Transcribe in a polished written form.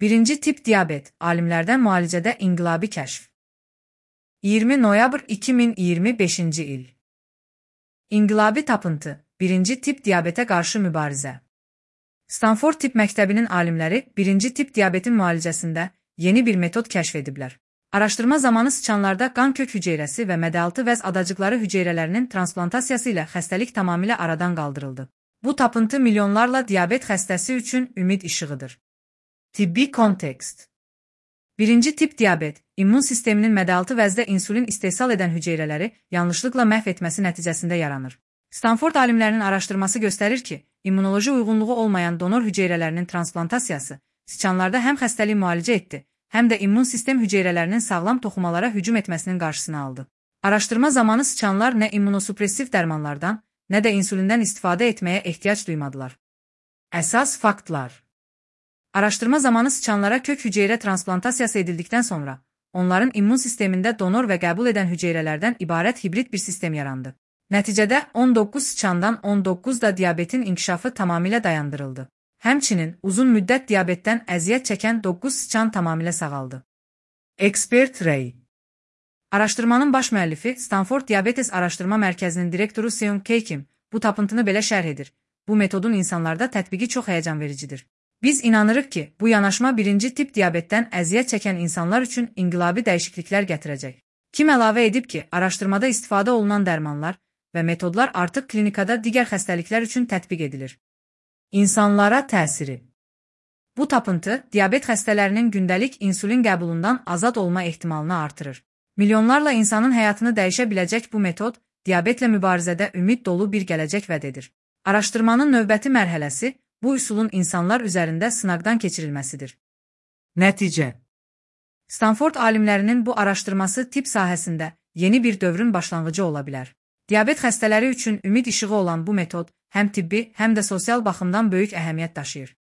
Birinci tip diabet, alimlərdən müalicədə inqilabi kəşf. 20 noyabr 2025-ci il. İnqilabi tapıntı, birinci tip diabetə qarşı mübarizə. Stanford Tibb Məktəbinin alimləri birinci tip diabetin müalicəsində yeni bir metod kəşf ediblər. Araşdırma zamanı sıçanlarda qan kök hüceyrəsi və mədəaltı vəz adacıqları hüceyrələrinin transplantasiya ilə xəstəlik tamamilə aradan qaldırıldı. Bu tapıntı milyonlarla diabet xəstəsi üçün ümid işığıdır. Tibbi kontekst. Birinci tip diabet, immun sisteminin mədəaltı vəzdə insulin istehsal edən hüceyrələri yanlışlıqla məhv etməsi nəticəsində yaranır. Stanford alimlərinin araşdırması göstərir ki, immunoloji uyğunluğu olmayan donor hüceyrələrinin transplantasiyası sıçanlarda həm xəstəliyi müalicə etdi, həm də immun sistem hüceyrələrinin sağlam toxumalara hücum etməsinin qarşısını aldı. Araşdırma zamanı sıçanlar nə immunosupressiv dərmanlardan, nə də insulindən istifadə etməyə ehtiyac duymadılar. Əsas faktlar. Araşdırma zamanı sıçanlara kök hüceyrə transplantasiyası edildikdən sonra, onların immun sistemində donor və qəbul edən hüceyrələrdən ibarət hibrid bir sistem yarandı. Nəticədə 19 sıçandan 19-da diabetin inkişafı tamamilə dayandırıldı. Həmçinin uzun müddət diabetdən əziyyət çəkən 9 sıçan tamamilə sağaldı. Expert Ray. Araşdırmanın baş müəllifi Stanford Diabetes Araşdırma Mərkəzinin direktoru Seung Keikim bu tapıntını belə şərh edir. Bu metodun insanlarda tətbiqi çox həyəcan vericidir. Biz inanırıq ki, bu yanaşma birinci tip diabetdən əziyyət çəkən insanlar üçün inqilabi dəyişikliklər gətirəcək. Kim əlavə edib ki, araşdırmada istifadə olunan dərmanlar və metodlar artıq klinikada digər xəstəliklər üçün tətbiq edilir. İnsanlara təsiri. Bu tapıntı, diabet xəstələrinin gündəlik insulin qəbulundan azad olma ehtimalını artırır. Milyonlarla insanın həyatını dəyişə biləcək bu metod, diabetlə mübarizədə ümid dolu bir gələcək vəd edir. Araşdırmanın növbəti mərhələsi, bu üsulun insanlar üzərində sınaqdan keçirilməsidir. Nəticə. Stanford alimlərinin bu araşdırması tibb sahəsində yeni bir dövrün başlanğıcı ola bilər. Diabet xəstələri üçün ümid işığı olan bu metod həm tibbi, həm də sosial baxımdan böyük əhəmiyyət daşıyır.